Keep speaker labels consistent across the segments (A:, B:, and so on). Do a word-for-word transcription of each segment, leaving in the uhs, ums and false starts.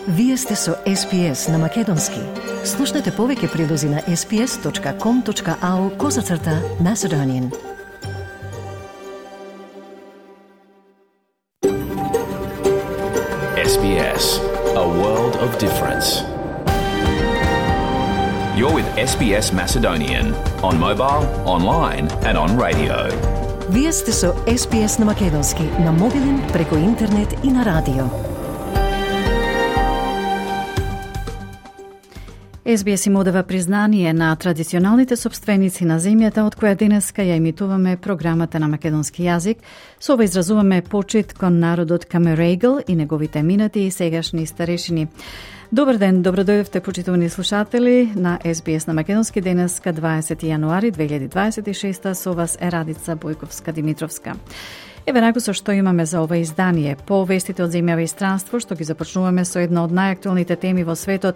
A: Вие сте со Ес Би Ес на Македонски. Слушнете повеќе прилози на ес би ес точка ком точка ау козацрта Macedonian.
B: Ес Би Ес, a world of difference. You're with Ес Би Ес Macedonian on mobile, online and on radio.
A: Вие сте со Ес Би Ес на Македонски, на мобилен, преку интернет и на радио.
C: Ес Би Ес им одава признание на традиционалните собственици на земјата, од која денеска ја емитуваме програмата на македонски јазик. Со ова изразуваме почит кон народот Камерегл и неговите минати и сегашни старешини. Добар ден, добродојдовте, почитувани слушатели на Ес Би Ес на македонски, денеска дваесети јануари две илјади дваесет и шеста. Со вас е Радица Бојковска-Димитровска. Еве наку со што имаме за ова издание. По вестите од земјава и странство, што ги започнуваме со една од најактуелните теми во светот,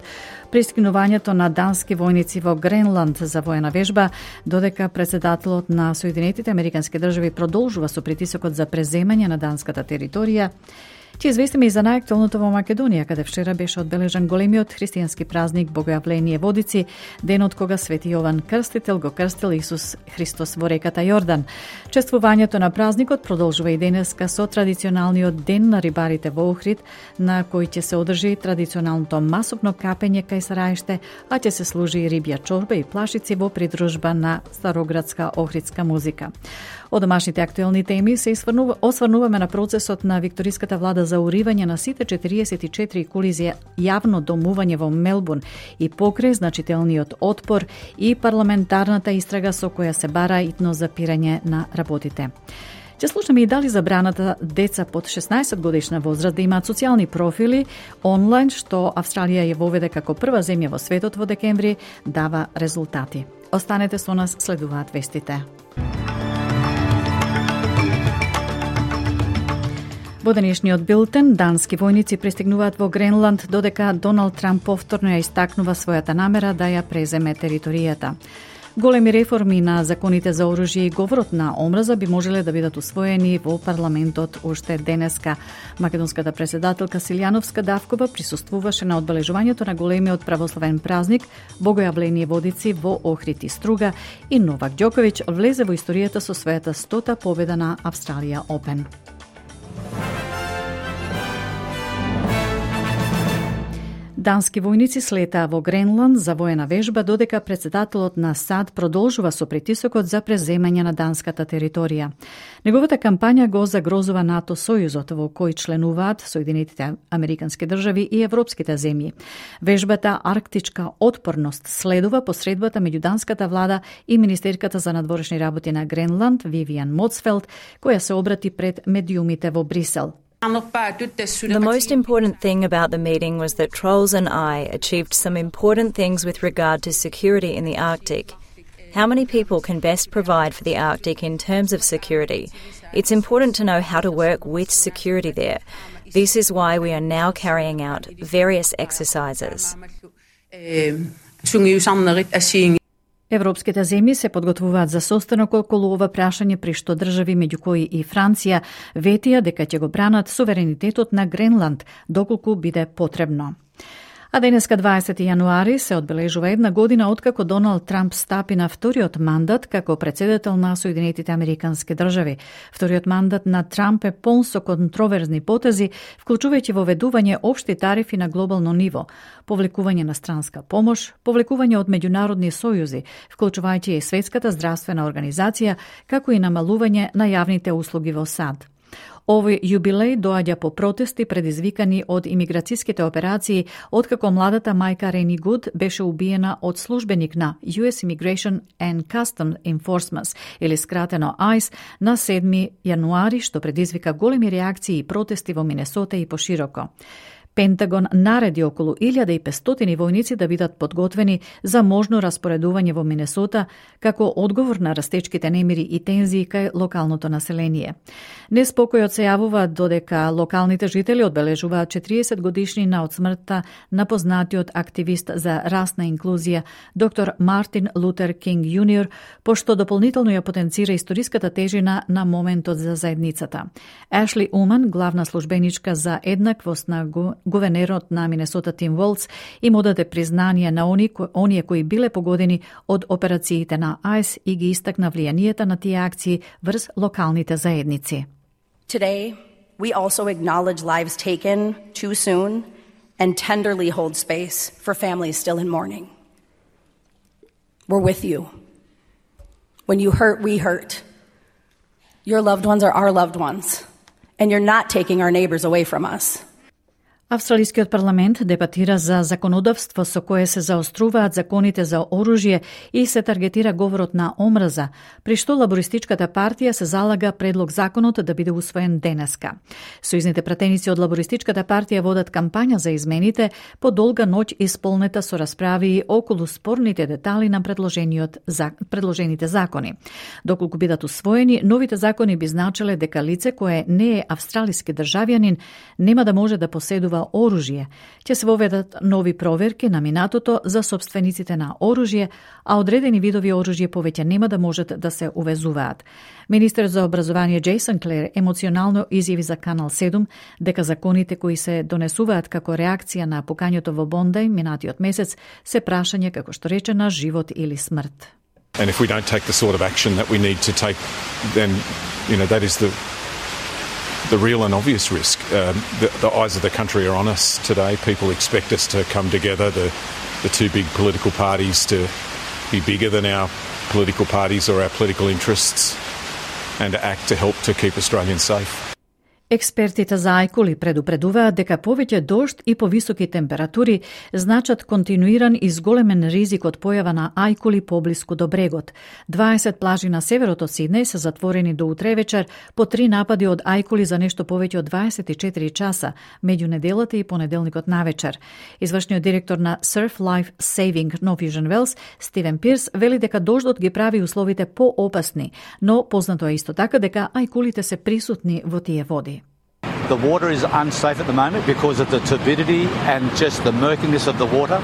C: пристигнувањето на дански војници во Гренланд за воена вежба, додека председателот на Соединетите Американски држави продолжува со притисокот за преземање на данската територија. Ќе известиме и за најактуелното во Македонија, каде вчера беше одбележан големиот христијански празник Богојавление Водици, денот кога Свети Јован Крстител го крстил Исус Христос во реката Јордан. Чествувањето на празникот продолжува и денеска со традиционалниот ден на рибарите во Охрид, на кој ќе се одржи традиционалното масовно капење кај Сараиште, а ќе се служи и рибја чорба и плашици во придружба на староградска охридска музика. Од домашните актуелни теми се осврнуваме на процесот на викториската влада за уривање на сите четириесет и четири кули за јавно домување во Мелбурн и покрај значителниот отпор и парламентарната истрага со која се бара итно запирање на работите. Ќе слушаме и дали забраната деца под шеснаесет годишна возраст да имаат социјални профили онлайн, што Австралија ја воведе како прва земја во светот во декември, дава резултати. Останете со нас, следуваат вестите. Во денешниот билтен, дански војници пристигнуваат во Гренланд, додека Доналд Трамп повторно ја истакнува својата намера да ја преземе територијата. Големи реформи на законите за оружје и говорот на омраза би можеле да бидат усвоени во парламентот уште денеска. Македонската председателка Силјановска Давкова присуствуваше на одбележувањето на големиот православен празник Богојавление Водици во Охрид и Струга и Новак Ѓоковиќ влезе во историјата со својата стота победа на Австралија Опен. Дански војници слетаа во Гренланд за воена вежба, додека председателот на САД продолжува со притисокот за преземање на данската територија. Неговата кампања го загрозува НАТО сојузот во кој членуваат Соединетите Американски држави и европските земји. Вежбата Арктичка отпорност следува посредбата меѓу данската влада и министерката за надворешни работи на Гренланд Вивиан Моцфелд, која се обрати пред медиумите во Брисел.
D: The most important thing about the meeting was that Trolls and I achieved some important things with regard to security in the Arctic. How many people can best provide for the Arctic in terms of security? It's important to know how to work with security there. This is why we are now carrying out various exercises.
C: Европските земји се подготвуваат за состанок околу ова прашање, при што држави меѓу кои и Франција ветија дека ќе го бранат суверенитетот на Гренланд доколку биде потребно. А денеска дваесети јануари се одбележува една година откако Доналд Трамп стапи на вториот мандат како председател на Соединетите Американски држави. Вториот мандат на Трамп е полн со контроверзни потези, вклучувајќи воведување општи тарифи на глобално ниво, повлекување на странска помош, повлекување од меѓународни сојузи, вклучувајќи и Светската здравствена организација, како и намалување на јавните услуги во САД. Овој јубилеј доаѓа по протести предизвикани од имиграцијските операции, откако младата мајка Рени Гуд беше убиена од службеник на Ю Ес Immigration and Customs Enforcement, или скратено ајс, на седми јануари, што предизвика големи реакции и протести во Минесота и пошироко. Пентагон нареди околу илјада и петстотини војници да бидат подготвени за можно распоредување во Минесота како одговор на растечките немири и тензии кај локалното население. Неспокојот се јавува додека локалните жители одбележуваат четириесет годишнина од смртта на познатиот активист за расна инклузија доктор Мартин Лутер Кинг јуниор, пошто дополнително ја потенцира историската тежина на моментот за заедницата. Ашли Уман, главна службеничка за еднаквост на гувернерот на Минесота Тим Волц им одаде признание на они, оние кои биле погодени од операциите на АЙС и ги истакна влијанието на тие акции врз локалните заедници.
E: Today, we also acknowledge lives taken too soon and tenderly hold space for families still in mourning. We're with you. When you hurt, we hurt. Your loved ones are our loved ones, and you're not taking our neighbors away from us.
C: Австралискиот парламент дебатира за законодавство со кое се заоструваат законите за оружје и се таргетира говорот на омраза, при што лабористичката партија се залага предлог законот да биде усвоен денеска. Сојузните пратеници од лабористичката партија водат кампања за измените по долга ноќ исполнета со расправи околу спорните детали на предложениот за предложените закони. Доколку бидат усвоени, новите закони би значеле дека лице кое не е австралиски државјанин нема да може да поседува оружје. Ќе се воведат нови проверки на минатото за собствениците на оружје, а одредени видови оружје повеќе нема да можат да се увезуваат. Министерот за образование Джейсон Клер емоционално изјави за Канал седум дека законите кои се донесуваат како реакција на пукањето во Бондај минатиот месец се прашање, како што рече, на живот или смрт.
F: And if we don't take the sort of action that we need to take, then you know that is the the real and obvious risk. Um, the, the eyes of the country are on us today. People expect us to come together, the, the two big political parties to be bigger than our political parties or our political interests and to act to help to keep Australians safe.
C: Експертите за ајкули предупредуваат дека повеќе дожд и повисоки температури значат континуиран и зголемен ризик од појава на ајкули поблиску до брегот. дваесет плажи на северот од Сиднеј се затворени до утре вечер по три напади од ајкули за нешто повеќе од дваесет и четири часа меѓу неделата и понеделникот навечер. Извршниот директор на Surf Life Saving Norwegian Wells, Стивен Пирс, вели дека дождот ги прави условите поопасни, но познато е исто така дека ајкулите се присутни во тие води.
G: The water is unsafe at the moment because of the turbidity and just the murkiness of the water.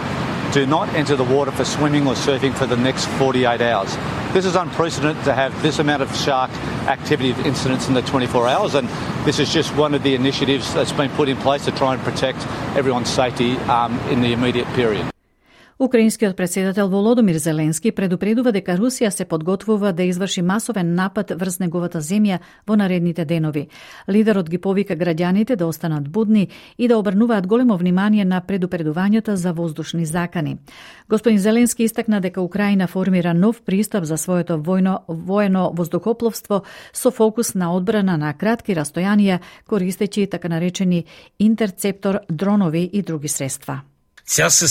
G: Do not enter the water for swimming or surfing for the next forty-eight hours. This is unprecedented to have this amount of shark activity incidents in the twenty-four hours, and this is just one of the initiatives that's been put in place to try and protect everyone's safety um, in the immediate period.
C: Украинскиот претседател Володомир Зеленски предупредува дека Русија се подготвува да изврши масовен напад врз неговата земја во наредните денови. Лидерот ги повика граѓаните да останат будни и да обрнуваат големо внимание на предупредувањата за воздушни закани. Господин Зеленски истакна дека Украина формира нов пристап за своето војно воено воздухопловство со фокус на одбрана на кратки растојанија, користејќи така наречени интерцептор дронови и други средства.
H: This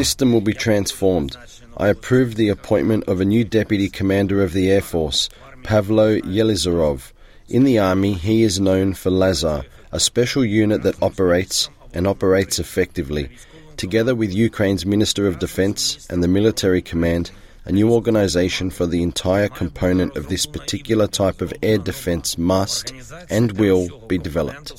H: system will be transformed. I approve the appointment of a new Deputy Commander of the Air Force, Pavlo Yelizarov. In the Army, he is known for Lazar, a special unit that operates and operates effectively. Together with Ukraine's Minister of Defense and the Military Command, a new organization for the entire component of this particular type of air defense must and will be developed.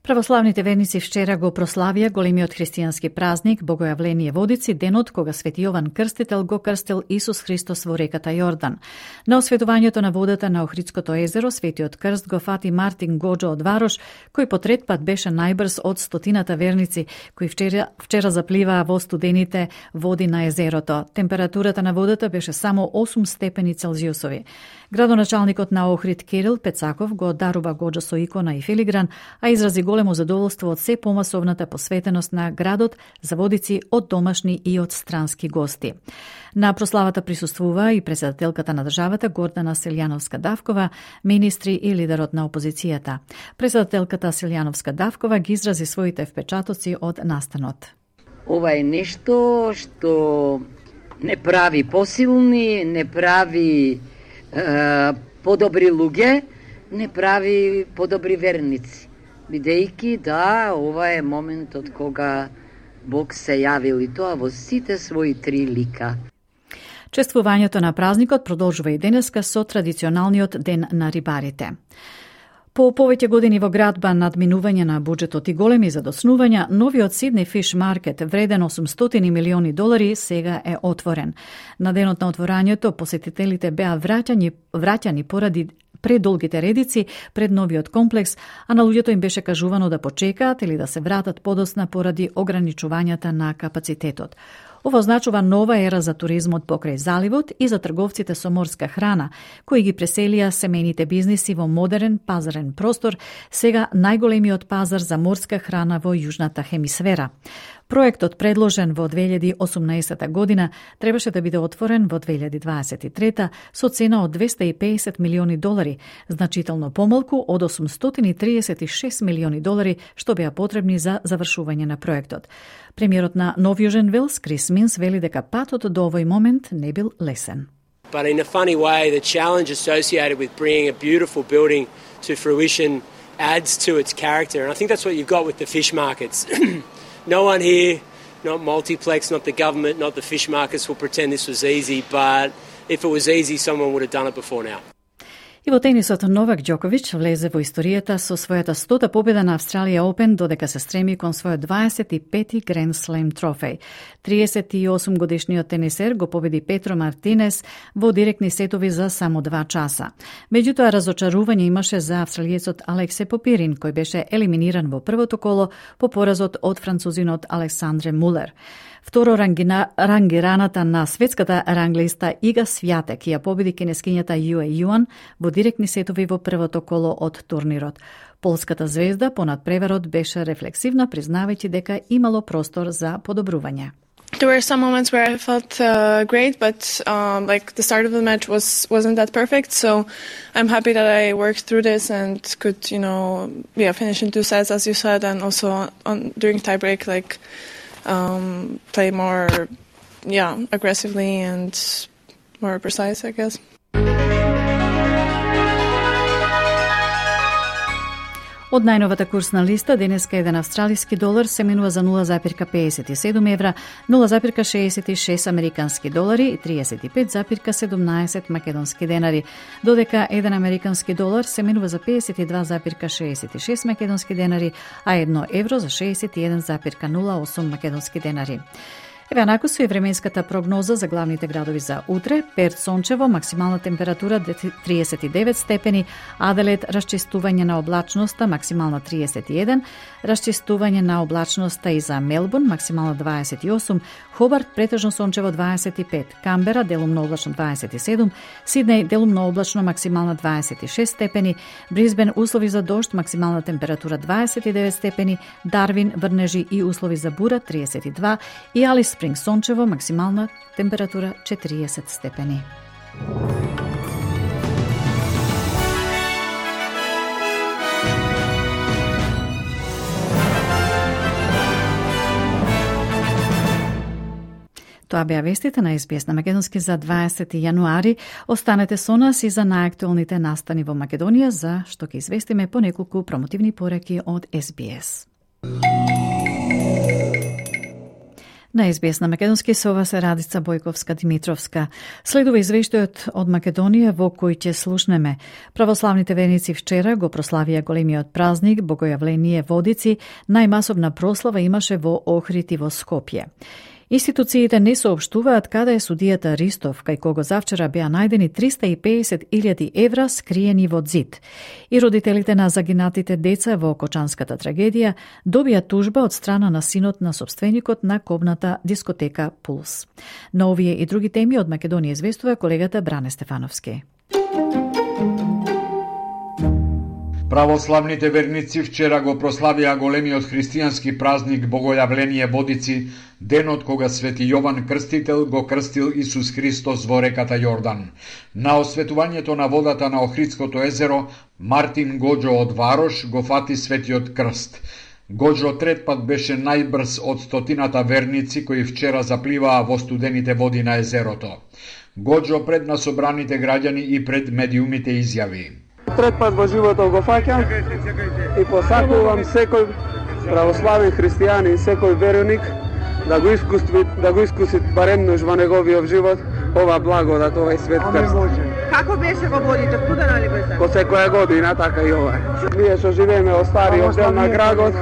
C: Православните верници вчера го прославија големиот христијански празник Богојавление Водици, денот кога Свети Јован Крстител го крстил Исус Христос во реката Јордан. На осветувањето на водата на Охридското езеро, Светиот крст го фати Мартин Гоџо од Варош, кој по трет пат беше најбрз од стотината верници, кои вчера, вчера запливаа во студените води на езерото. Температурата на водата беше само осум степени Целзиусови. Градоначалникот на Охрид Кирил Пецаков го дарува Гоџо со икона и филигран, а изрази големо задоволство од се помасовната посветеност на градот за водици од домашни и од странски гости. На прославата присуствува и председателката на државата Гордана Селјановска-Давкова, министри и лидерот на опозицијата. Председателката Селјановска-Давкова ги изрази своите впечатоци од настанот.
I: Ова е нешто што не прави посилни, не прави е, подобри луѓе, не прави подобри верници. Бидејќи да, ова е моментот кога Бог се јавил и тоа во сите своји три лика.
C: Чествувањето на празникот продолжува и денеска со традиционалниот ден на рибарите. По повеќе години во градба надминување на буџетот и големи задоснувања, новиот Сиднеј Фиш Маркет, вреден осумстотини милиони долари, сега е отворен. На денот на отворањето, посетителите беа враќани, враќани поради предолгите редици пред новиот комплекс, а на луѓето им беше кажувано да почекаат или да се вратат подосна поради ограничувањата на капацитетот. Ова означува нова ера за туризмот покрај заливот и за трговците со морска храна, кои ги преселија семејните бизниси во модерен пазарен простор, сега најголемиот пазар за морска храна во јужната хемисфера. Проектот, предложен во две илјади и осумнаесета година, требаше да биде отворен во две илјади дваесет и трета со цена од двесте и педесет милиони долари, значително помалку од осумстотини и триесет и шест милиони долари што беа потребни за завршување на проектот. Премиерот на Нов Јужен Велс, Крис Минс, вели дека патот до овој момент не бил лесен.
J: But in a funny way, the challenge associated with bringing a beautiful building to fruition adds to its character. And I think that's what you've got with the fish markets. No one here, not Multiplex, not the government, not the fish markets will pretend this was easy, but if it was easy, someone would have done it before now.
C: И во тенисот Новак Ѓоковиќ влезе во историјата со својата стота победа на Австралија Опен, додека се стреми кон својот дваесет и пети Гранд Слем трофеј. триесет и осум годишниот тенисер го победи Петро Мартинес во директни сетови за само два часа. Меѓутоа, разочарување имаше за австралиецот Алексе Попирин, кој беше елиминиран во првото коло по поразот од французинот Александре Мулер. Второ рангина, рангираната на светската ранглиста Ига Свјатек ја победи кинескињата Јуе Јуан во директни сетови во првото коло од турнирот. Полската звезда понад преварот беше рефлексивна, признавајќи дека имало простор за подобрување.
K: There were some moments where I felt uh, great, but um, like the start of the match was wasn't that perfect. So I'm happy that I worked through this and could, you know, yeah, finish in two sets, as you said, and also on during tiebreak, like um, play more, yeah, aggressively and more precise, I guess.
C: Од најновата курсна листа, денеска еден австралиски долар се менува за нула запир педесет и седум евра, нула запир шеесет и шест американски долари и триесет и пет запир седумнаесет македонски денари, додека еден американски долар се менува за педесет и два запир шеесет и шест македонски денари, а едно евро за шеесет и еден запир нула осум македонски денари. Еве анаку со и временската прогноза за главните градови за утре. Перт сончево, максимална температура триесет и девет степени, Аделаид расчистување на облачноста, максимална триесет и еден, расчистување на облачноста и за Мелбурн, максимална дваесет и осум, Хобарт претежно сончево дваесет и пет, Камбера делумно облачно дваесет и седум, Сиднеј делумно облачно, максимална дваесет и шест степени, Брисбен услови за дожд, максимална температура дваесет и девет степени, Дарвин врнежи и услови за бура триесет и два и Алис Спринг сончево, максимална температура четириесет степени. Тоа беа вестите на Ес Би Ес на македонски за дваесети јануари. Останете со нас и за најактуелните настани во Македонија, за што ќе известиме по неколку промотивни пораки од Ес Би Ес. На Ес Би Ес на македонски со ова се Радица Бојковска-Димитровска. Следува извештајот од Македонија во кој ќе слушнеме. Православните верници вчера го прославија големиот празник Богојавление Водици. Најмасовна прослава имаше во Охрид и во Скопје. Институциите не соопштуваат каде е судијата Ристов, кај кого завчера беа најдени триста и педесет илјади евра скриени во ѕид. И родителите на загинатите деца во Кочанската трагедија добија тужба од страна на синот на собственикот на кобната дискотека Пулс. На овие и други теми од Македонија известува колегата Бране Стефановски.
L: Православните верници вчера го прославија големиот христијански празник Богојавление Водици, денот кога свети Јован Крстител го крстил Исус Христос во реката Јордан. На осветувањето на водата на Охридското езеро, Мартин Гоџо од Варош го фати светиот крст. Гоџо трет пат беше најбрз од стотината верници кои вчера запливаа во студените води на езерото. Гоџо пред на собраните граѓани и пред медиумите изјави:
M: Трет пат во животот го фаќам и посакувам секој православен христијанин, секој верник да го искуси, да го искуси баремнуш во неговиот живот ова благодат, овој свет крст.
N: Како беше во водите, студена ли беше?
M: Ко секоја година, така и ова. Ние што живееме во стариот дел на градот,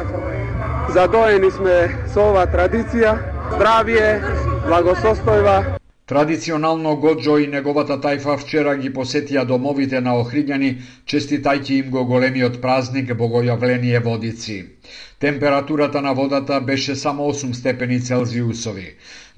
M: задоени сме со оваа традиција, здравие, благосостојба.
L: Традиционално Годжо и неговата тајфа вчера ги посетија домовите на Охриѓани, честитајќи им го големиот празник Богојавление Водици. Температурата на водата беше само осум степени Целзиусови.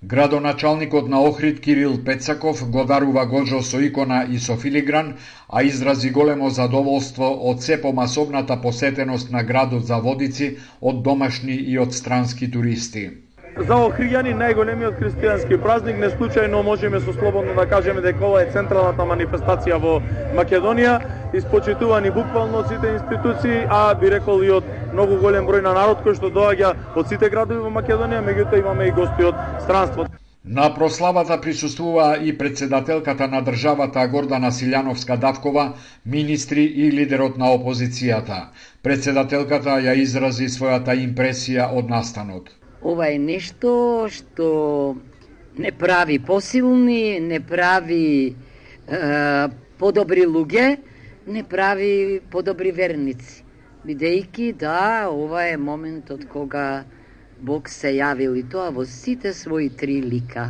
L: Градоначалникот на Охрид Кирил Пецаков го дарува Годжо со икона и со филигран, а изрази големо задоволство од се помасовната посетеност на градот за Водици од домашни и од странски туристи.
O: За Охриѓани најголемиот христијански празник, не случајно можеме со слободно да кажеме дека ова е централната манифестација во Македонија, испочитувани буквално од сите институции, а би рекол и од многу голем број на народ кој што доаѓа од сите градови во Македонија, меѓутоа имаме и гости од странство.
L: На прославата присуствува и председателката на државата Гордана Силјановска-Давкова, министри и лидерот на опозицијата. Председателката ја изрази својата импресија од настанот.
I: Ова е нешто што не прави посилни, не прави е, подобри луѓе, не прави подобри верници. Бидејќи да, ова е моментот кога Бог се јавил и тоа во сите своји три лика.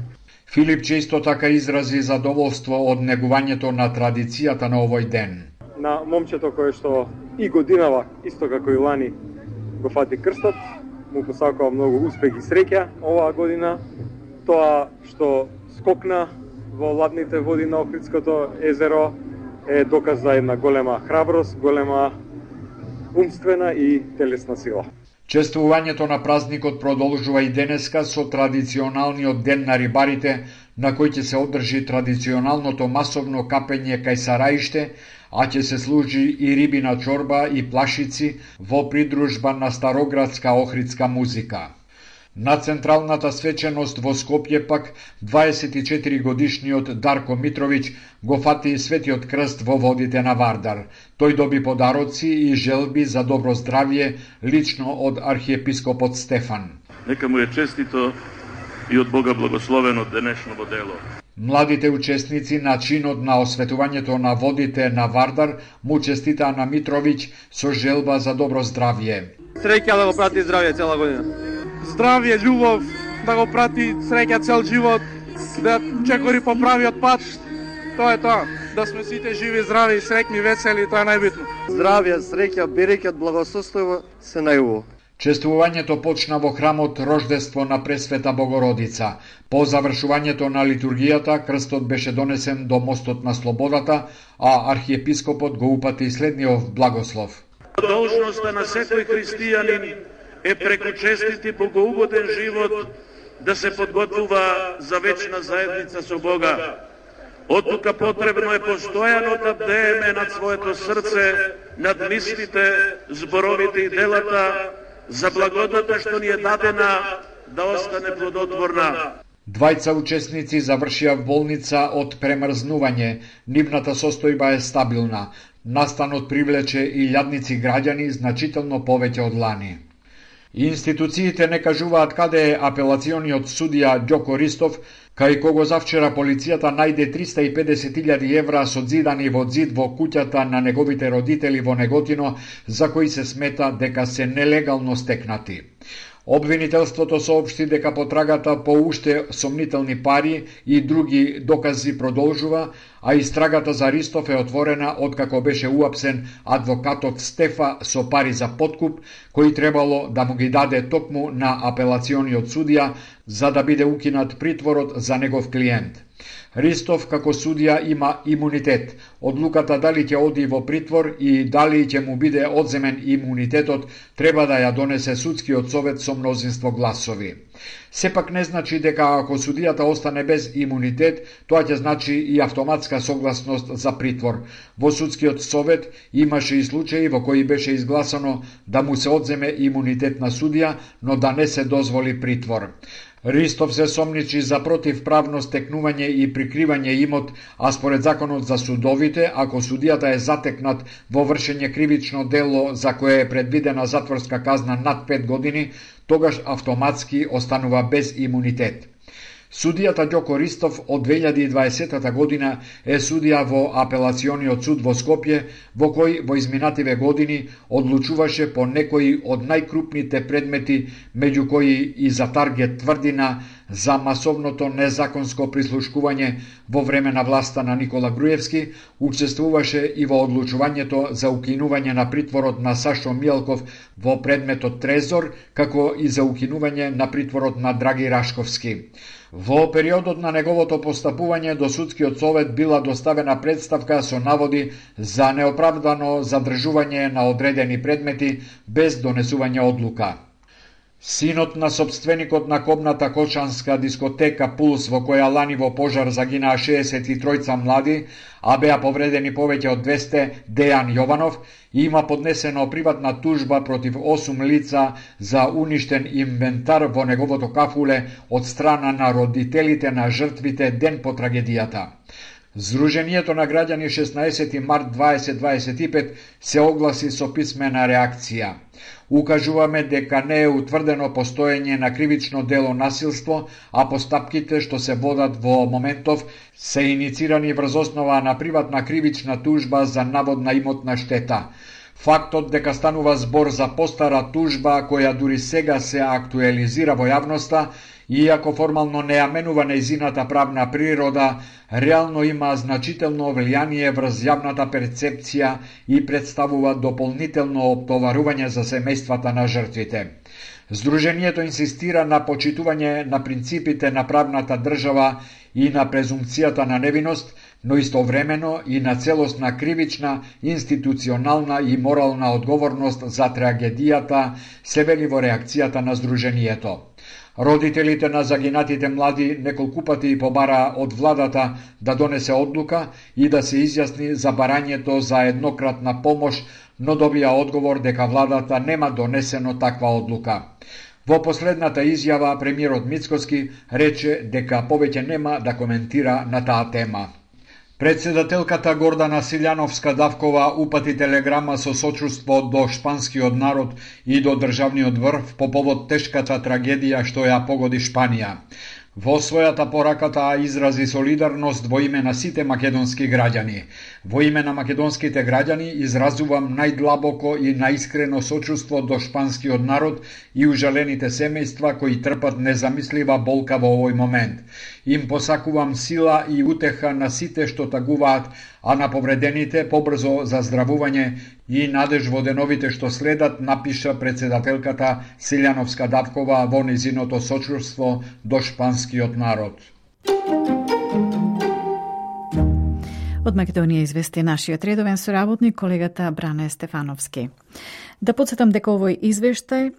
L: Филип често така изрази задоволство од негувањето на традицијата на овој ден.
O: На момчето кое што и годинава, исто како и лани, го фати крстот, му посакувам многу успех и среќа оваа година. Тоа што скокна во ладните води на Охридското езеро е доказ за една голема храброст, голема умствена и телесна сила.
L: Чествувањето на празникот продолжува и денеска со традиционалниот ден на рибарите, на кој ќе се одржи традиционалното масовно капење кај Сараиште, а ќе се служи и рибина чорба и плашици во придружба на староградска охридска музика. На централната свеченост во Скопје пак дваесет и четири годишниот Дарко Митровиќ го фати светиот крст во водите на Вардар. Тој доби подароци и желби за добро здравје лично од архиепископот Стефан.
P: Нека му е честито и од Бога благословено денешното дело.
L: Младите учесници на чинот на осветувањето на водите на Вардар му честитаа на Митровиќ со желба за добро здравје.
O: Среќа да го прати здравје цела година. Здравје, љубов, да го прати среќа цел живот, да чекори по правиот пат. Тоа е тоа. Да сме сите живи, здрави, среќни, весели, тоа е најбитно.
Q: Здравје, среќа, берекет, благосостојство се најубаво.
L: Чествувањето почна во храмот Рождество на Пресвета Богородица. По завршувањето на литургијата, крстот беше донесен до мостот на Слободата, а архиепископот го упати следниот благослов.
P: Должноста на секој христијанин е преку честит и богоугоден живот да се подготвува за вечна заедница со Бога. Оттука потребно е постојано да бдееме над своето срце, над мислите, зборовите и делата, за благодата што ни е дадена да остане плодотворна.
L: Двајца учесници завршија в болница од премрзнување. Нивната состојба е стабилна. Настанот привлече и илјадници граѓани, значително повеќе од лани. Институциите не кажуваат каде е апелациониот судија Ѓоко Ристов, кај кого завчера полицијата најде триста и педесет илјади евра содзидани во зид во куќата на неговите родители во Неготино, за кои се смета дека се нелегално стекнати. Обвинителството соопшти дека потрагата по уште сомнителни пари и други докази продолжува, а истрагата за Ристов е отворена откако беше уапсен адвокатот Стефа со пари за подкуп, кои требало да му ги даде токму на апелациониот судија за да биде укинат притворот за негов клиент. Ристов како судија има имунитет. Одлуката дали ќе оди во притвор и дали ќе му биде одземен имунитетот треба да ја донесе судскиот совет со мнозинство гласови. Сепак не значи дека ако судијата остане без имунитет, тоа ќе значи и автоматска согласност за притвор. Во судскиот совет имаше и случаи во кои беше изгласано да му се одземе имунитет на судија, но да не се дозволи притвор. Ристов се сомничи за противправно стекнување и прикривање имот, а според законот за судовите, ако судијата е затекнат во вршење кривично дело за кое е предвидена затворска казна над пет години, тогаш автоматски останува без имунитет. Судијата Ѓоко Ристов од две илјади и дваесета година е судија во апелациониот суд во Скопје, во кој во изминативе години одлучуваше по некои од најкрупните предмети, меѓу кои и за таргет Тврдина, за масовното незаконско прислушкување во време на власта на Никола Груевски, учествуваше и во одлучувањето за укинување на притворот на Сашо Мијалков во предметот Трезор, како и за укинување на притворот на Драги Рашковски. Во периодот на неговото постапување до судскиот совет била доставена представка со наводи за неоправдано задржување на одредени предмети без донесување одлука. Синот на собственикот на кобната кочанска дискотека Пулс, во која лани во пожар загинаа шеесет и тројца млади, а беа повредени повеќе од двесте, Дејан Јованов, има поднесено приватна тужба против осум лица за уништен инвентар во неговото кафуле од страна на родителите на жртвите ден по трагедијата. Сдруженијето на граѓани шеснаесети март дваесет дваесет и пет се огласи со писмена реакција. Укажуваме дека не е утврдено постоење на кривично дело насилство, а постапките што се водат во моментов се иницирани врз основа на приватна кривична тужба за наводна имотна штета. Фактот дека станува збор за постара тужба која дури сега се актуализира во јавноста, иако формално не ја менува нејзината правна природа, реално има значително влијание врз јавната перцепција и представува дополнително оптоварување за семејствата на жртвите. Сдруженијето инсистира на почитување на принципите на правната држава и на презумпцијата на невиност, но истовремено и на целосна кривична, институционална и морална одговорност за трагедијата, се вели во реакцијата на Сдруженијето. Родителите на загинатите млади неколку пати побара од владата да донесе одлука и да се изјасни за барањето за еднократна помош, но добија одговор дека владата нема донесено таква одлука. Во последната изјава премиерот Мицкоски рече дека повеќе нема да коментира на таа тема. Председателката Гордана Силјановска-Давкова упати телеграма со сочувство до шпанскиот народ и до државниот врв по повод тешката трагедија што ја погоди Шпанија. Во својата порака таа изрази солидарност во име на сите македонски граѓани. Во име на македонските граѓани изразувам најдлабоко и наискрено сочувство до шпанскиот народ и ужалените семејства кои трпат незамислива болка во овој момент. Им посакувам сила и утеха на сите што тагуваат, а на повредените побрзо заздравување и надеж во деновите што следат, напиша председателката Силјановска-Давкова во низиното сочувство до шпанскиот народ.
C: Од Македонија извести нашиот редовен соработник, колегата Бране Стефановски. Да подсетам дека овој извештај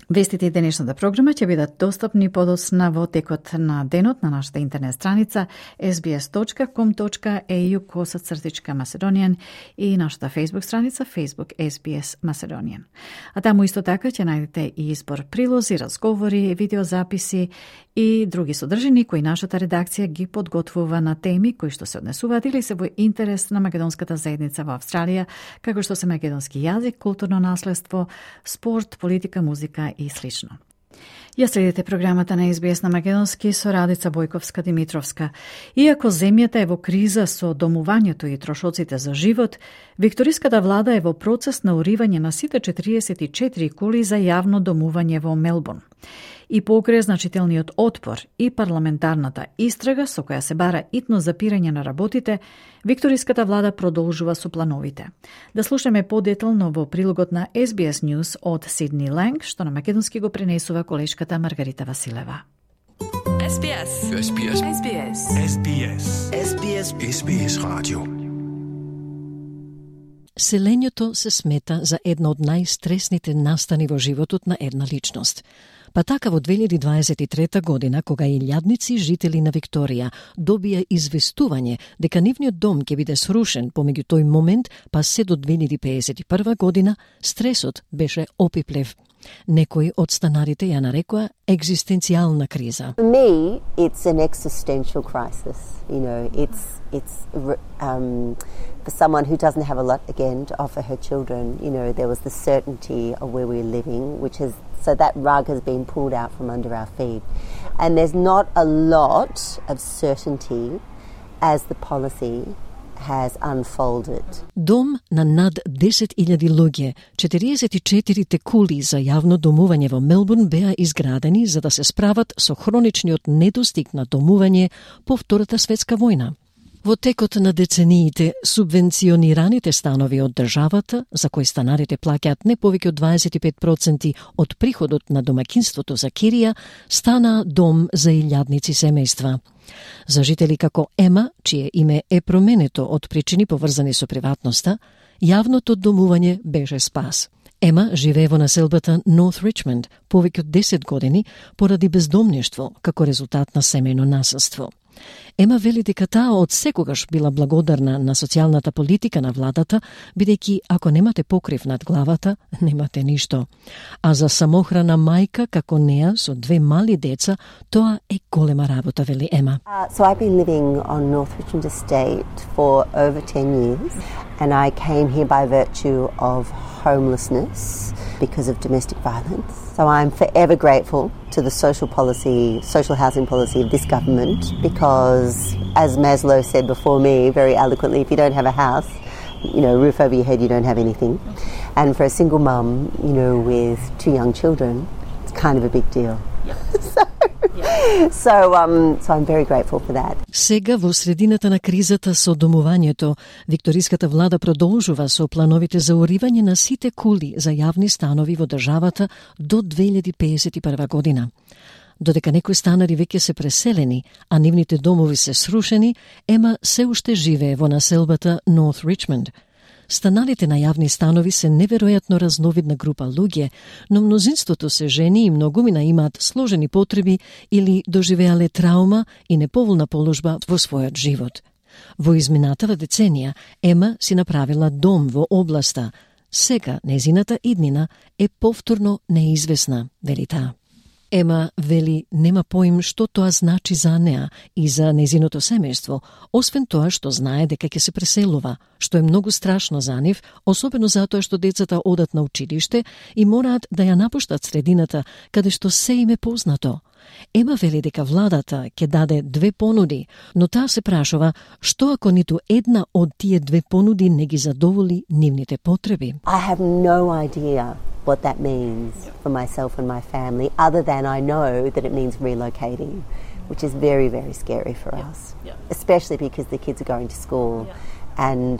C: Вестите и денешната програма ќе бидат достапни подоцна во текот на денот на нашата интернет страница ес би ес точка ком точка ей ю косацртичка Macedonian и нашата Facebook страница Facebook ес би ес Macedonian. А таму исто така ќе најдете и избор прилози, разговори, видеозаписи и други содржини кои нашата редакција ги подготвува на теми кои што се однесуваат или се во интерес на македонската заедница во Австралија, како што се македонски јазик, културно наследство, спорт, политика, музика и слично. Ја следите програмата на ес би ес на македонски со Радица Бојковска-Димитровска. Иако земјата е во криза со домувањето и трошоците за живот, викториската влада е во процес на уривање на сите четириесет и четири кули за јавно домување во Мелбурн. И покрај значителниот отпор и парламентарната истрага со која се бара итно запирање на работите, викториската влада продолжува со плановите. Да слушаме подетално во прилогот на ес би ес News од Сидни Ланг, што на македонски го пренесува колешката Маргарита Василева.
R: ес би ес. ес би ес. ес би ес. ес би ес. ес би ес. ес би ес радио.
A: Селењето се смета за една од најстресните настани во животот на една личност. Па така во две илјади дваесет и трета година, кога илјадници жители на Викторија добија известување дека нивниот дом ќе биде срушен помеѓу тој момент па се до две илјади пеесет и прва година, стресот беше опиплев. Некои од станарите ја нарекоа екзистенцијална криза.
S: For me, it's an existential crisis. You know, it's it's um, for someone who doesn't have a lot again to offer her children. You know, there was the certainty of where we're living, which is so that rug has been pulled out from under our feet, and there's not a lot of certainty as the policy has unfolded.
A: Дом на над десет илјади луѓе, четириесет и четири кули за јавно домување во Мелбурн беа изградени за да се справат со хроничниот недостиг на домување по Втората светска војна. Во текот на децениите, субвенционираните станови од државата, за кои станарите плаќаат не повеќе од дваесет и пет проценти од приходот на домаќинството за кирија, стана дом за илјадници семејства. За жители како Ема, чие име е променето од причини поврзани со приватноста, јавното домување беше спас. Ема живее во населбата North Richmond повеќе од десет години поради бездомништво како резултат на семејно насилство. Ема вели дека таа од секогаш била благодарна на социјалната политика на владата, бидејќи ако немате покрив над главата, немате ништо. А за самохрана мајка како неа со две мали деца, тоа е голема работа, вели Ема.
S: Uh, so I've been living on North Richmond Estate for over ten years, and I came here by virtue of homelessness because of domestic violence. So I'm forever grateful to the social policy, social housing policy of this government because, as Maslow said before me very eloquently, if you don't have a house, you know, roof over your head, you don't have anything. And for a single mum, you know, with two young children, it's kind of a big deal. Yep. so, yep. so, um, so I'm very grateful for that.
A: Сега, во средината на кризата со домувањето, викториската влада продолжува со плановите за уривање на сите кули за јавни станови во државата до две илјади пеесет и прва година. Додека некои станари веќе се преселени, а нивните домови се срушени, Ема се уште живее во населбата North Richmond. Станарите на јавни станови се неверојатно разновидна група луѓе, но мнозинството се жени и многумина имаат сложени потреби или доживеале траума и неповолна положба во својот живот. Во изминатава деценија Ема си направила дом во областа. Сега незината иднина е повторно неизвестна, вели таа. Ема вели нема поим што тоа значи за неа и за незиното семејство, освен тоа што знае дека ќе се преселува, што е многу страшно за нив, особено затоа што децата одат на училиште и мораат да ја напуштат средината каде што се им е познато. Ема вели дека владата ќе даде две понуди, но таа се прашува што ако ниту една од тие две понуди не ги задоволи нивните потреби.
S: I have no idea what that means for myself and my family, other than I know that it means relocating, which is very, very scary for yeah. us, yeah. especially because the kids are going to school. Yeah. And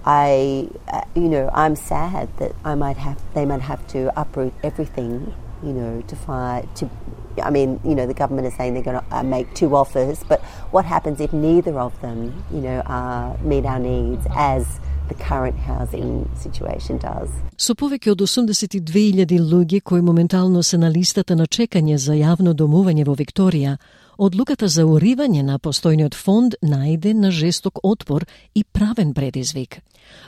S: I, uh, you know, I'm sad that I might have, they might have to uproot everything, you know, to find, to, I mean, you know, the government is saying they're going to uh, make two offers, but what happens if neither of them, you know, uh, meet our needs as the current housing situation does?
A: Со повеќе од осумдесет и две илјади луѓе кои моментално се на листата на чекање за јавно домување во Викторија, одлуката за уривање на постојниот фонд најде на жесток отпор и правен предизвик.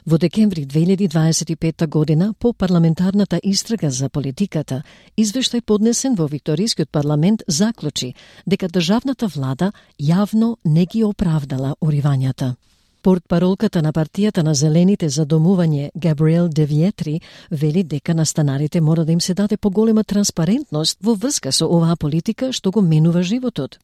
A: Во декември две илјади дваесет и петта година, по парламентарната истрага за политиката, извештај поднесен во Викторискиот парламент заклучи дека државната влада јавно не ги оправдала уривањата. Портпаролката на партијата на Зелените за домување Габриел Девиетри вели дека на станарите мора да им се даде поголема транспарентност во врска со оваа политика што го менува животот.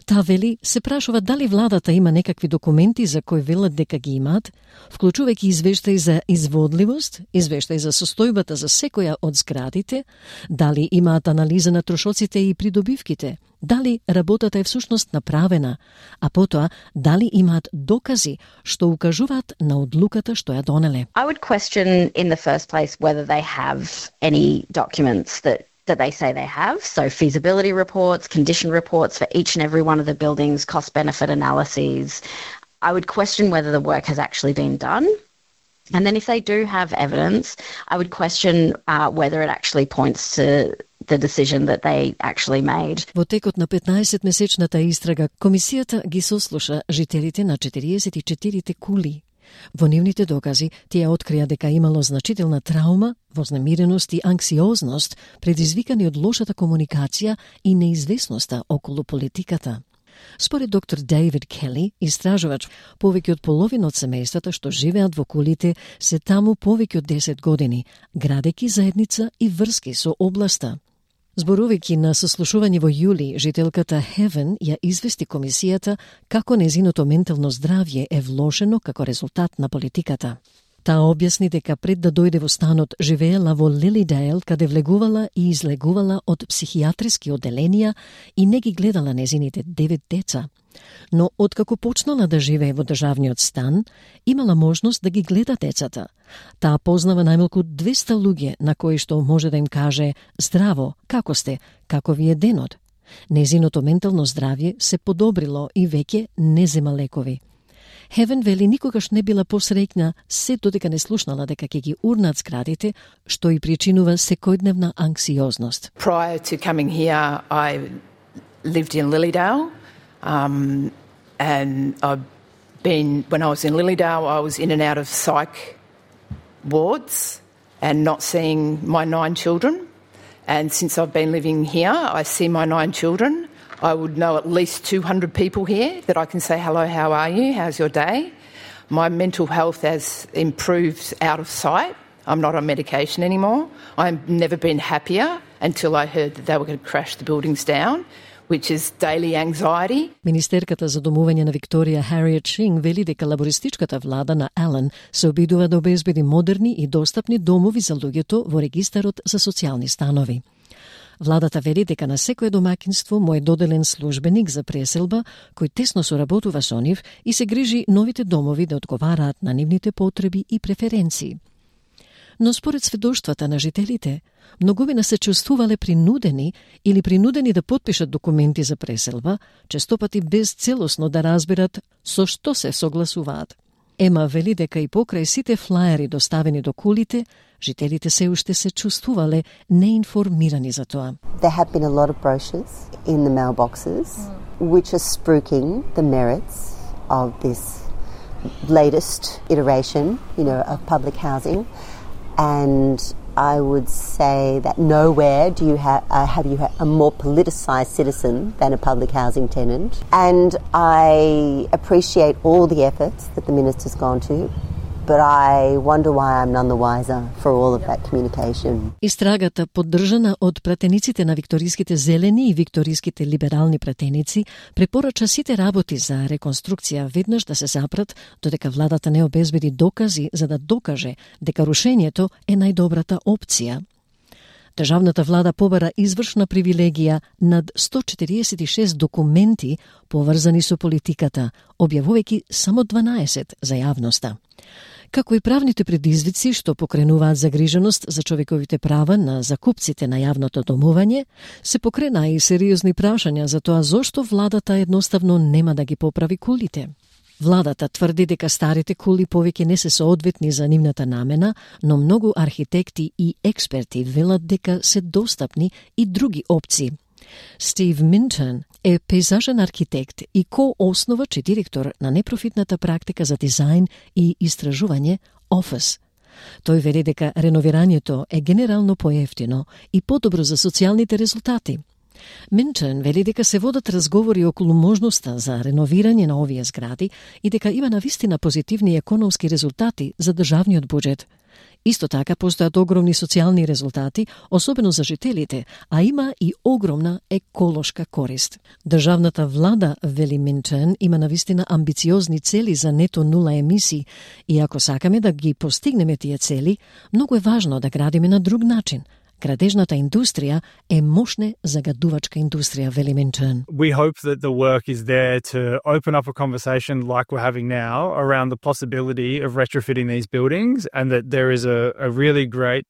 A: Таа вели се прашува дали владата има некакви документи за кои велат дека ги имаат, вклучувајќи извештај за изводливост, извештај за состојбата за секоја од зградите, дали имаат анализа на трошоците и придобивките, дали работата е всушност направена, а потоа дали имаат докази што укажуваат на одлуката што ја донеле.
T: I would question in the first place whether they have any documents that that they say they have, so feasibility reports, condition reports for each and every one of the buildings, cost-benefit analyses. I would question whether the work has actually been done. And then if they do have evidence, I would question uh, whether it actually points to the decision that they actually made.
A: Во текот на петнаесетмесечната истрага, комисијата ги сослуша жителите на четириесет и четири кули. Во нивните докази, тие открија дека имало значителна траума, вознемиреност и анксиозност, предизвикани од лошата комуникација и неизвестноста околу политиката. Според доктор Дейвид Кели, истражувач, повеќе од половина од семејствата што живеат во кулите се таму повеќе од десет години, градејќи заедница и врски со областа. Зборувајќи на сослушување во јули, жителката Хевен ја извести комисијата како незиното ментално здравје е влошено како резултат на политиката. Таа објасни дека пред да дојде во станот живеела во Лилидейл, каде влегувала и излегувала од психијатриски оделенија и не ги гледала незините девет деца. Но откако почнала да живее во државниот стан, имала можност да ги гледа децата. Таа познава најмалку двеста луѓе на кои што може да им каже «Здраво, како сте, како ви е денот?» Незиното ментално здравје се подобрило и веќе не зема лекови. Хевен вели никогаш не била посреќна се додека не слушнала дека ќе ги урнат зградите, што и причинува секојдневна анксиозност.
U: Prior to coming here, I lived in Lilydale. Um, and I've been, when I was in Lilydale, I was in and out of psych wards and not seeing my nine children. And since I've been living here, I see my nine children. I would know at least two hundred people here that I can say, hello, how are you? How's your day? My mental health has improved out of sight. I'm not on medication anymore. I've never been happier until I heard that they were going to crash the buildings down, which is daily anxiety.
A: Министерката за домување на Викторија Хариет Шинг вели дека лабористичката влада на Ален се обидува да обезбеди модерни и достапни домови за луѓето во регистарот за социјални станови. Владата вели дека на секое домаќинство му е доделен службеник за преселба кој тесно соработува со нив и се грижи новите домови да одговараат на нивните потреби и преференции. Но според сведоштвата на жителите, многумина се чувствувале принудени или принудени да потпишат документи за преселба, честопати без целосно да разберат со што се согласуваат. Ема вели дека и покрај сите флаери доставени до кулите, жителите се уште се чувствувале неинформирани за тоа.
S: There have been a lot of brochures in the mailboxes which are spruiking the merits of this latest iteration, you know, of public housing. And I would say that nowhere do you have uh, have you a more politicised citizen than a public housing tenant. And I appreciate all the efforts that the minister's gone to, but I wonder why I'm none the wiser for all of that communication.
A: Истрагата, поддржана од пратениците на викториските зелени и викториските либерални пратеници, препорача сите работи за реконструкција веднаш да се запрат, додека владата не обезбеди докази за да докаже дека рушењето е најдобрата опција. Државната влада побара извршна привилегија над сто четириесет и шест документи поврзани со политиката, објавувајќи само дванаесет за јавноста. Како и правните предизвици што покренуваат загриженост за човековите права на закупците на јавното домување, се покрена и сериозни прашања за тоа зошто владата едноставно нема да ги поправи кулите. Владата тврди дека старите кули повеќе не се соодветни за нивната намена, но многу архитекти и експерти велат дека се достапни и други опции. Стив Минтон е пейзажен архитект и ко-основач и директор на непрофитната практика за дизајн и истражување Office. Тој вели дека реновирањето е генерално поевтино и подобро за социјалните резултати. Минтон вели дека се водат разговори околу можноста за реновирање на овие згради и дека има навистина позитивни економски резултати за државниот буџет. Исто така постојат огромни социјални резултати, особено за жителите, а има и огромна еколошка корист. Државната влада, вели Минтон, има навистина амбициозни цели за нето нула емисии и ако сакаме да ги постигнеме тие цели, многу е важно да градиме на друг начин. Градежната индустрија е мощна загадувачка индустрија, вели Минтон.
V: We hope that the work is there to open up a conversation like we're having now around the possibility of retrofitting these buildings, and that there is a, a really great,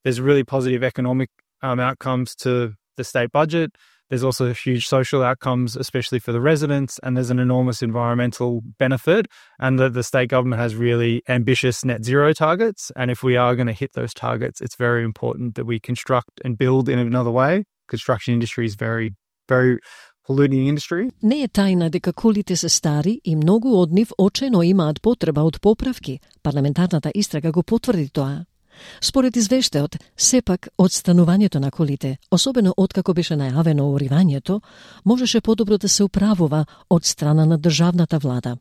V: there's really positive economic um, outcomes to the state budget. There's also huge social outcomes, especially for the residents, and there's an enormous environmental benefit, and that the state government has really ambitious net zero targets. And if we are going to hit those targets, it's very important that we construct and build in another way. Construction industry is very, very polluting industry.
A: Не е тајна дека кулите се стари и многу од нив очајно имаат потреба од поправки. Парламентарната истрага го потврди тоа. Според извештајот, сепак одстанувањето на колите, особено откако беше најавено уривањето, можеше подобро да се управува од страна на државната влада.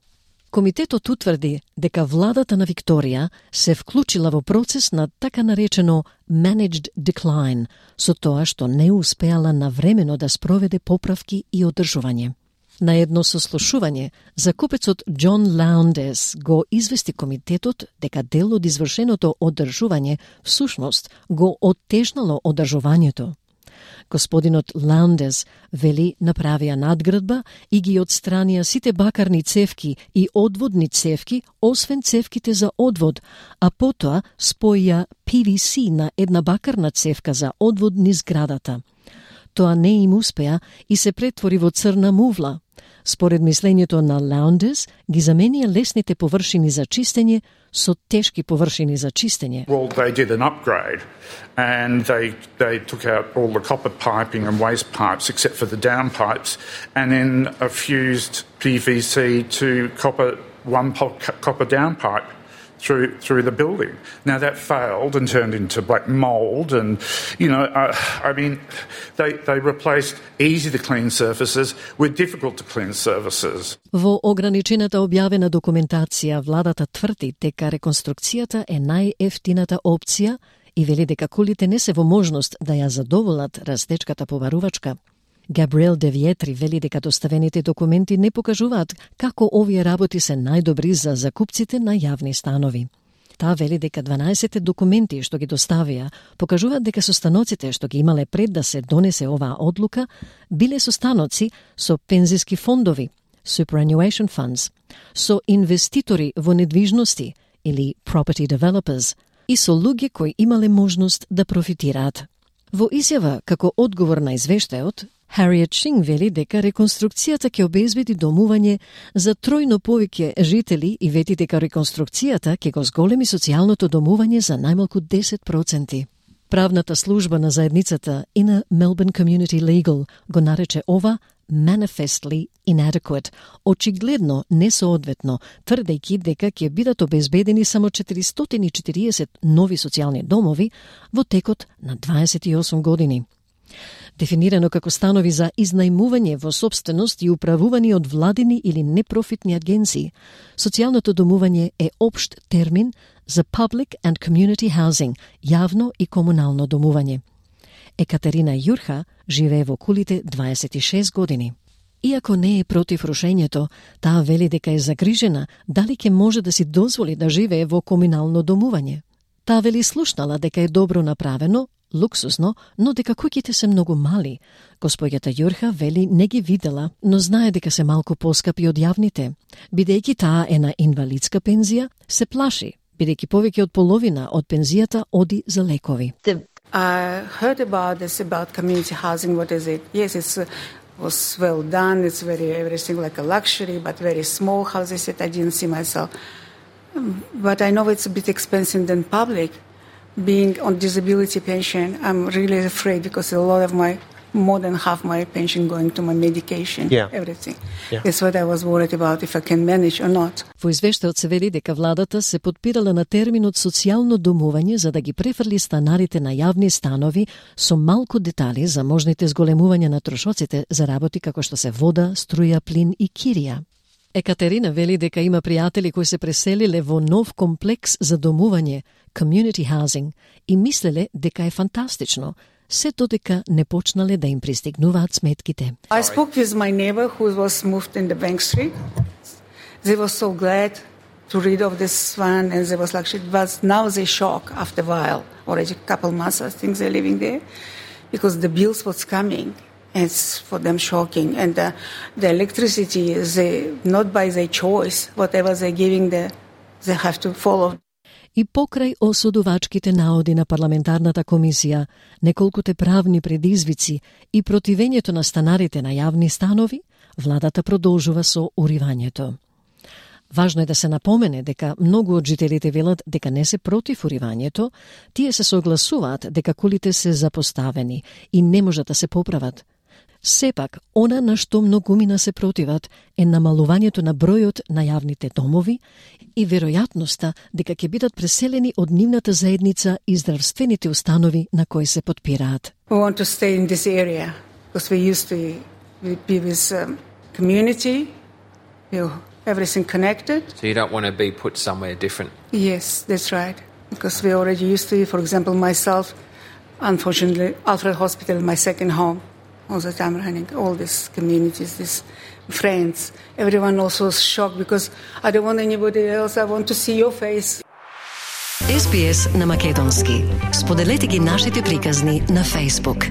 A: Комитетот утврди дека владата на Викторија се вклучила во процес на така наречено managed decline, со тоа што не успеала навремено да спроведе поправки и одржување. На едно сослушување, закупецот Џон Лаундес го извести комитетот дека дел од извршеното одржување всушност го оттежнало одржувањето. Господинот Лаундес вели направија надградба и ги отстранија сите бакарни цевки и одводни цевки, освен цевките за одвод, а потоа споја Пи Ви Си на една бакарна цевка за одвод низ зградата. Тоа не им успеа и се претвори во црна мувла. Според мислењето на Лаундес, ги заменија лесните површини за чистење со тешки површини за чистење.
B: Well, they did an upgrade and they they took out all the copper piping and waste pipes except for the downpipes and then uh, fused P V C to copper one copper downpipe through through the building. Now that failed and turned into black mold, and you know, uh, I mean, they they replaced easy to clean surfaces with difficult to clean surfaces.
A: Во ограничената објавена документација, владата тврди дека реконструкцијата е најефтината опција и вели дека кулите не се во можност да ја задоволат растечката побарувачка. Габриел де Виетри вели дека доставените документи не покажуваат како овие работи се најдобри за закупците на јавни станови. Таа вели дека дванаесет документи што ги доставија покажуваат дека состаноците што ги имале пред да се донесе оваа одлука биле состаноци со пензиски фондови, superannuation funds, со инвеститори во недвижности или property developers и со луѓе кои имале можност да профитираат. Во изјава како одговор на извештајот, Хариет Шинг вели дека реконструкцијата ќе обезбеди домување за тројно повеќе жители и вети дека реконструкцијата ќе го зголеми социјалното домување за најмалку десет проценти. Правната служба на заедницата и на Melbourne Community Legal го нарече ова manifestly inadequate, очигледно несоодветно, тврдејќи дека ќе бидат обезбедени само четиристотини и четириесет нови социјални домови во текот на дваесет и осум години. Дефинирано како станови за изнајмување во сопственост и управувани од владини или непрофитни агенции, социјалното домување е општ термин за public and community housing, јавно и комунално домување. Екатерина Јурха живее во кулите дваесет и шест години. Иако не е против рушењето, таа вели дека е загрижена дали ќе може да си дозволи да живее во комунално домување. Таа вели слушнала дека е добро направено, луксусно, но дека куќите се многу мали. Господјата Јурха вели не ги видела, но знае дека се малку поскапи од јавните. Бидејќи таа е на инвалидска пензија, се плаши, бидејќи повеќе од половина од пензијата оди за лекови.
D: I heard about this, about community housing. What is it? Yes, it uh, was well done. It's very everything like a luxury, but very small houses that I didn't see myself. Um, but I know it's a bit expensive than public. Being on disability pension, I'm really afraid because a lot of my, more than half my pension going to my medication, yeah. everything. Yeah. That's what I was worried about, if I can manage or not.
A: Во извештајот се вели дека владата се подпирала на терминот социјално домување за да ги префрли станарите на јавни станови со малку детали за можните зголемувања на трошоците за работи како што се вода, струја, плин и кирија. Екатерина вели дека има пријатели кои се преселиле во нов комплекс за домување, community housing, и мислеле дека е фантастично, се додека не почнале да им пристигнуваат сметките.
D: I spoke with my neighbor who was moved in the Bank Street. They were so glad to rid of this one, and they was like, but now they shock after a while, already a couple months I think they're living there, because the bills was coming. It's for them shocking, and the, the electricity is they, not by their choice. Whatever they're giving, the, they have to follow.
A: И покрај осудувачките наоди на парламентарната комисија, неколкуте правни предизвици и противењето на станарите на јавни станови, владата продолжува со уривањето. Важно е да се напомене дека многу од жителите велат дека не се против уривањето, тие се согласуваат дека кулите се запоставени и не можат да се поправат. Сепак, она на што многумина се противат е намалувањето на бројот на јавните домови и веројатноста дека ќе бидат преселени од нивната заедница и здравствените установи на кои се подпираат.
D: We want to stay in this area because we used to be with um, community. You everything connected.
E: So you don't want to be put somewhere different?
D: Yes, that's right. Because we're already used to it. For example, myself, unfortunately, Alfred Hospital, my second home, all the time running, all these communities, these friends. Everyone also was shocked because I don't want anybody else. I want to see your face.
A: Ес Би Ес на македонски. Споделете ги нашите приказни на Facebook.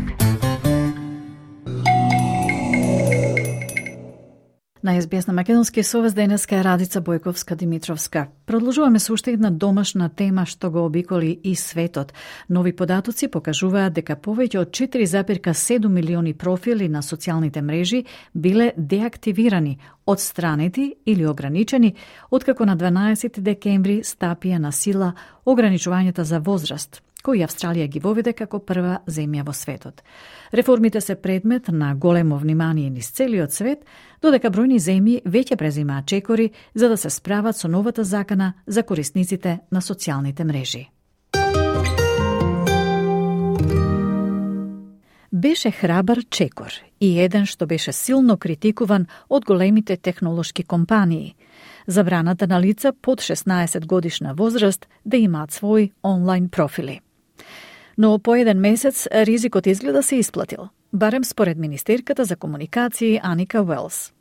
C: На Ес Би Ес на македонски со вас денеска е Радица Бојковска-Димитровска. Продолжуваме со уште една домашна тема што го обиколи и светот. Нови податоци покажуваат дека повеќе од четири зарез седум милиони профили на социјалните мрежи биле деактивирани, отстранети или ограничени, откако на дванаесети декември стапија на сила ограничувањата за возраст, кои Австралија ги воведе како прва земја во светот. Реформите се предмет на големо внимание низ целиот свет, додека бројни земји веќе презимаат чекори за да се справат со новата закана за корисниците на социјалните мрежи. Беше храбар чекор и еден што беше силно критикуван од големите технолошки компании. Забраната на лица под шеснаесет годишна возраст да имаат своји онлайн профили. Но по еден месец ризикот изгледа се исплатил, барем според министерката за комуникации Аника Уелс.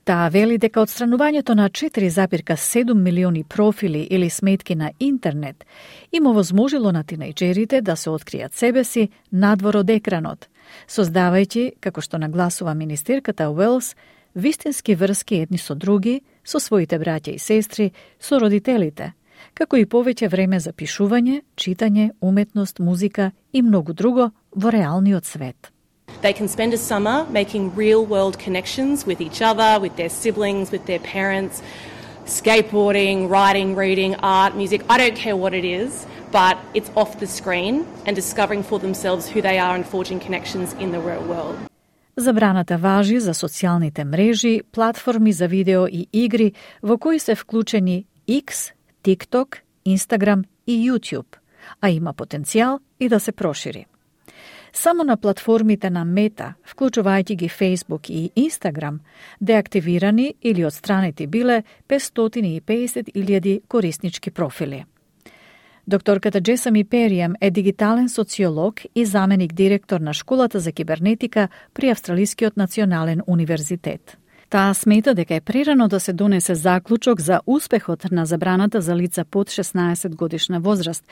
C: Таа вели дека отстранувањето на четири зарез седум милиони профили или сметки на интернет им овозможило на тинејџерите да се откријат себе си надвор од екранот, создавајќи, како што нагласува министерката Уелс, вистински врски едни со други, со своите браќа и сестри, со родителите, како и повеќе време за пишување, читање, уметност, музика и многу друго во реалниот свет.
F: They can spend a summer making real-world connections with each other, with their siblings, with their parents, skateboarding, writing, reading, art, music. I don't care what it is, but it's off the screen and discovering for themselves who they are and forging connections in the real world.
C: Забраната важи за социјалните мрежи, платформи за видео и игри во кои се вклучени X, TikTok, Instagram и YouTube, а има потенцијал и да се прошири. Само на платформите на Мета, вклучувајќи ги Facebook и Instagram, деактивирани или отстранети биле петстотини и педесет илјади кориснички профили. Докторката Джесами Перијам е дигитален социолог и заменик директор на школата за кибернетика при Австралискиот национален универзитет. Таа смета дека е прерано да се донесе заклучок за успехот на забраната за лица под шеснаесет годишна возраст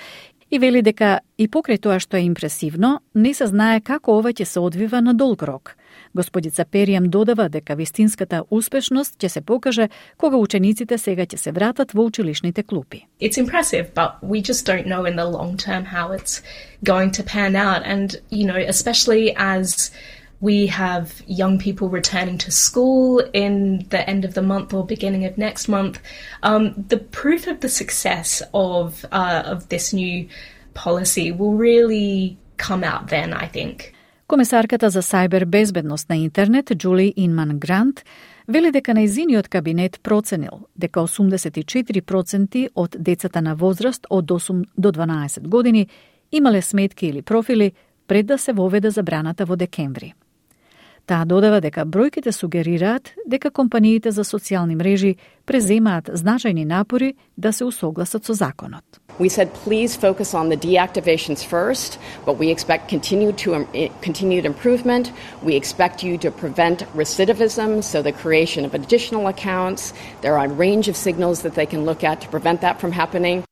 C: и вели дека и покрај тоа што е импресивно, не се знае како ова ќе се одвива на долг рок. Господица Перијам додава дека вистинската успешност ќе се покаже кога учениците сега ќе се вратат во училишните клупи.
W: It's impressive, but we just don't know in the long term how it's going to pan out. And, you know, especially as we have young people returning to school in the end of the month or beginning of next month. Um, the proof of the success of uh, of this new policy will really come out then, I think.
C: Комесарката за сајбер безбедност на интернет, Джули Инман Грант, вели дека нејзиниот кабинет проценил дека осумдесет и четири проценти од децата на возраст од осум до дванаесет години имале сметки или профили пред да се воведе забраната во декември. Таа додава дека бројките сугерираат дека компаниите за социјални мрежи преземаат значајни напори да се усогласат со законот.
X: We said please focus on the deactivations first, but we expect continued to um, continued improvement. We expect you to prevent recidivism, so the creation of additional accounts. There are a range of signals that they can look at to prevent that from happening.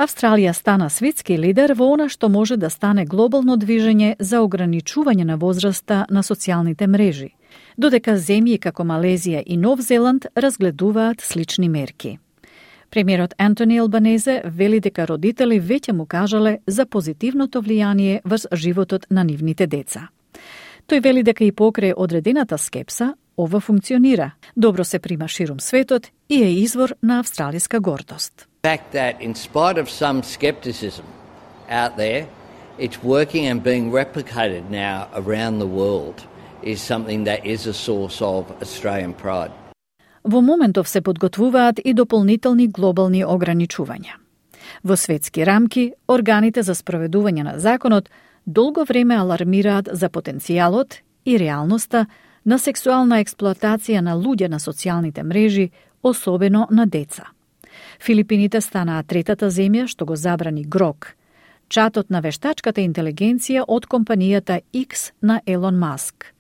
C: Австралија стана светски лидер во она што може да стане глобално движење за ограничување на возраста на социјалните мрежи, додека земји како Малезија и Нов Зеланд разгледуваат слични мерки. Премиерот Антони Албанезе вели дека родители веќе му кажале за позитивното влијание врз животот на нивните деца. Тој вели дека и покрај одредената скепса, ова функционира, добро се прима ширум светот и е извор на австралиска гордост.
Y: The fact that in spite of some skepticism out there, it's working and being replicated now around the world is something that is a source of Australian pride.
C: Во моментов се подготвуваат и дополнителни глобални ограничувања. Во светски рамки, органите за спроведување на законот долго време алармираат за потенцијалот и реалноста на сексуална експлоатација на луѓе на социјалните мрежи особено на деца. Филипините станаа третата земја што го забрани Грок, чатот на вештачката интелигенција од компанијата X на Елон Маск.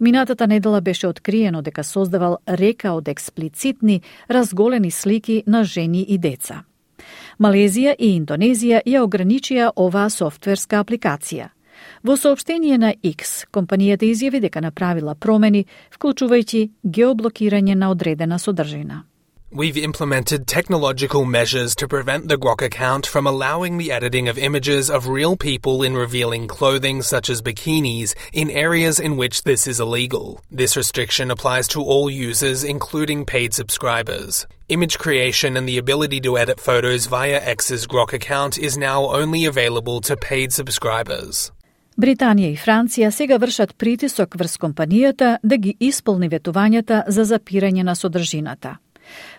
C: Минатата недела беше откриено дека создавал река од експлицитни, разголени слики на жени и деца. Малезија и Индонезија ја ограничија оваа софтверска апликација. Во соопштение на X, компанијата изјави дека направила промени, вклучувајќи геоблокирање на одредена содржина.
G: We've implemented technological measures to prevent the Grok account from allowing the editing of images of real people in revealing clothing such as bikinis in areas in which this is illegal. This restriction applies to all users, including paid subscribers. Image creation and the ability to edit photos via X's Grok account is now only available to paid subscribers.
C: Британија и Франција сега вршат притисок врз компанијата да ги исполни ветувањата за запирање на содржината.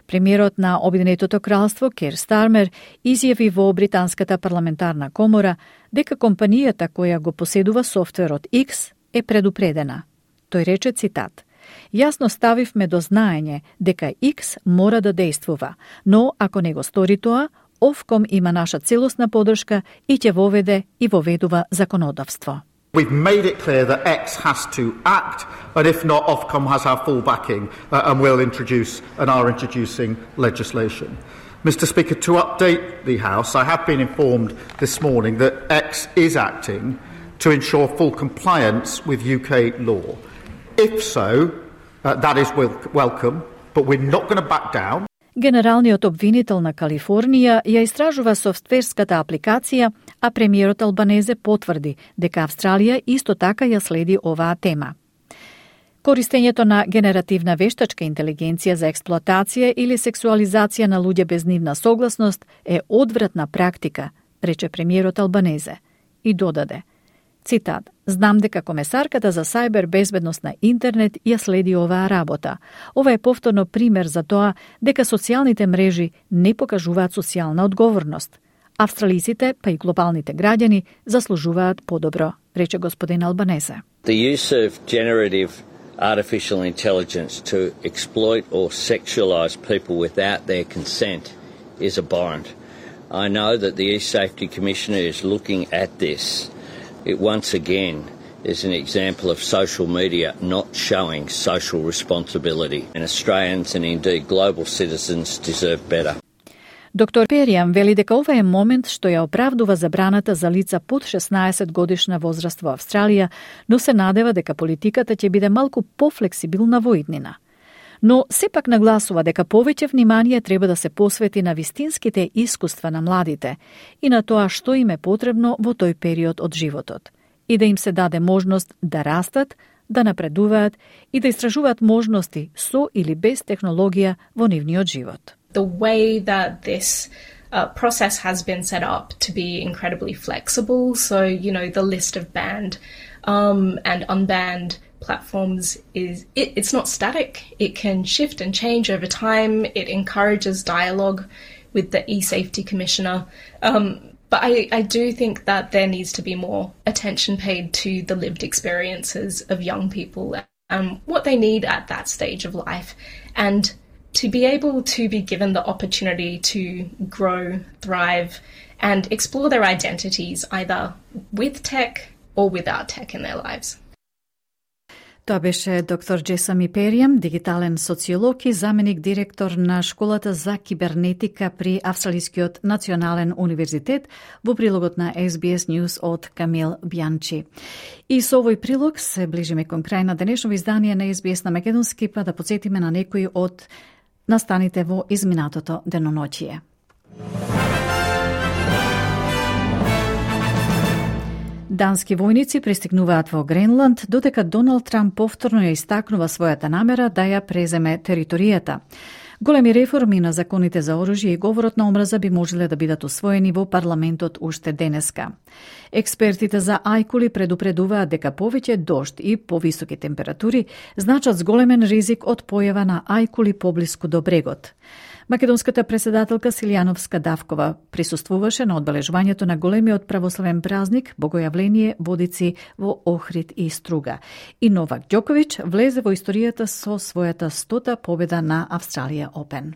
C: Премиерот на Обединетото кралство Кер Стармер изјави во Британската парламентарна комора дека компанијата која го поседува софтверот X е предупредена. Тој рече, цитат: "Јасно ставивме до знаење дека X мора да действува, но ако не го стори тоа, Ofcom има наша целосна подршка и ќе воведе и воведува законодавство."
H: We've made it clear that X has to act, and if not, Ofcom has our full backing uh, and will introduce and are introducing legislation. Mister Speaker, to update the House, I have been informed this morning that X is acting to ensure full compliance with U K law. If so, uh, that is wel- welcome, but we're not going to back down.
C: Генералниот обвинител на Калифорнија ја истражува софтверската апликација, а премиерот Албанезе потврди дека Австралија исто така ја следи оваа тема. Користењето на генеративна вештачка интелигенција за експлоатација или сексуализација на луѓе без нивна согласност е одвратна практика, рече премиерот Албанезе и додаде, цитат: "Знам дека комесарката за сајбер безбедност на интернет ја следи оваа работа. Ова е повторно пример за тоа дека социјалните мрежи не покажуваат социјална одговорност. Австралиците, па и глобалните граѓани заслужуваат подобро", рече господин Албанезе.
Y: The use of generative artificial intelligence to exploit or sexualize people without their consent is abhorrent. I know that the e-Safety Commissioner is looking at this. It once again is an example of social media not showing social responsibility, and Australians and indeed global citizens deserve better.
C: Доктор Перијан вели дека ова е момент што ја оправдува забраната за лица под шеснаесет годишна возраст во Австралија, но се надева дека политиката ќе биде малку пофлексибилна во иднина. Но сепак нагласува дека повеќе внимание треба да се посвети на вистинските искуства на младите и на тоа што им е потребно во тој период од животот и да им се даде можност да растат, да напредуваат и да истражуваат можности со или без технологија во нивниот живот.
W: The way that this uh, process has been set up to be incredibly flexible, so, you know, the list of banned um, and unbanned platforms is, it, it's not static. It can shift and change over time. It encourages dialogue with the e-Safety Commissioner. Um, but I, I do think that there needs to be more attention paid to the lived experiences of young people and what they need at that stage of life. And to be able to be given the opportunity to grow, thrive, and explore their identities either with tech or without tech in their lives.
C: Тоа беше доктор Джесами Перијам, дигитален социолог и заменик директор на Школата за кибернетика при Австралискиот национален универзитет, во прилогот на Ес Би Ес News од Камил Бјанчи. И со овој прилог се ближиме кон крај на денешно издание на Ес Би Ес на македонски, па да подсетиме на некои од настаните во изминатото деноноќие. Дански војници пристигнуваат во Гренланд, додека Доналд Трамп повторно ја истакнува својата намера да ја преземе територијата. Големи реформи на законите за оружје и говорот на омраза би можеле да бидат усвоени во парламентот уште денеска. Експертите за ајкули предупредуваат дека повеќе дожд и повисоки температури значат зголемен ризик од појава на ајкули поблиску до брегот. Македонската председателка Силјановска Давкова присуствуваше на одбележувањето на големиот православен празник Богојавление Водици во Охрид и Струга. И Новак Ѓоковиќ влезе во историјата со својата стота победа на Австралија Опен.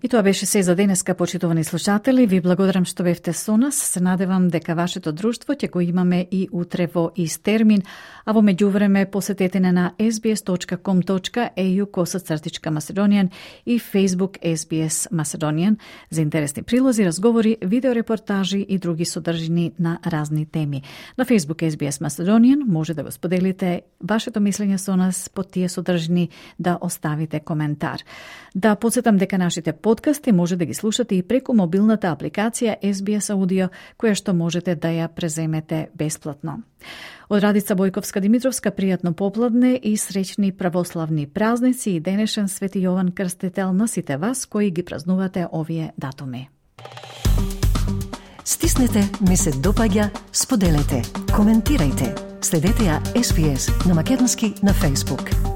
C: И тоа беше се за денеска, почитувани слушатели. Ви благодарам што бевте со нас. Се надевам дека вашето друштво ќе го имаме и утре во ист термин, а во меѓувреме посетете на ес би ес точка ком точка ей ю косацртичка Macedonian и Facebook ес би ес Macedonian за интересни прилози, разговори, видеорепортажи и други содржини на разни теми. На Facebook ес би ес Macedonian може да го споделите вашето мислење со нас под тие содржини, да оставите коментар. Да подсетам дека нашите подкасти може да ги слушате и преку мобилната апликација ес би ес Audio, која што можете да ја преземете бесплатно. Од Радица Бојковска Димитровска, пријатно попладне и среќни православни празници и денешен Свети Јован Крстител на сите вас кои ги празнувате овие датуми.
A: Стиснете, ми се допаѓа, споделете, коментирајте. Следете ја ес би ес на македонски на Facebook.